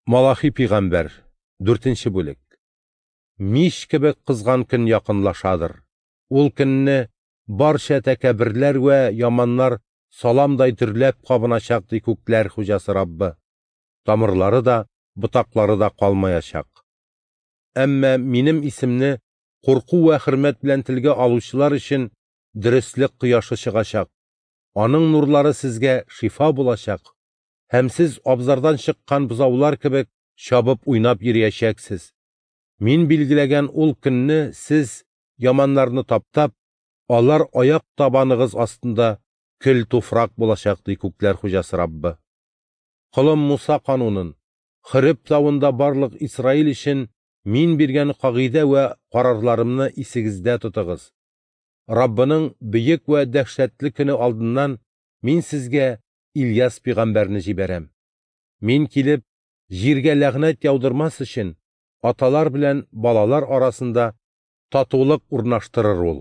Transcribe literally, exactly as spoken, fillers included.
Малахи пигамбәр, дүртенче бүлек. Мич кебек кызган көн якынлашадыр. Ул көнне барча тәкәбберләр вә яманнар саламдай дөрләп кабыначак, ди күкләр хуҗасы Раббы. Тамырлары да, ботаклары да калмаячак. Әмма минем исемне курку вә хөрмәт белән телгә алучылар өчен дөреслек кояшы чыгачак. Аның нурлары сезгә шифа булачак. Һәм сез абзардан чыккан бозаулар кебек чабып уйнап йөриячәксез. Мин билгеләгән ул көнне сез яманнарны таптап, алар аяк табаныгыз астында көл туфрак булачак, ди күкләр хуҗасы Раббы. Колым Муса канунын, Хореб тавында барлык Исраил өчен мин биргән кагыйдә вә карарларымны исегездә тотыгыз. Раббының бөек вә дәһшәтле көне алдыннан мин сезгә Ильяс пигамбәрне җибәрәм. Мин килеп, җиргә ләгънәт яудырмас өчен, аталар белән балалар арасында татулык урнаштырыр ул.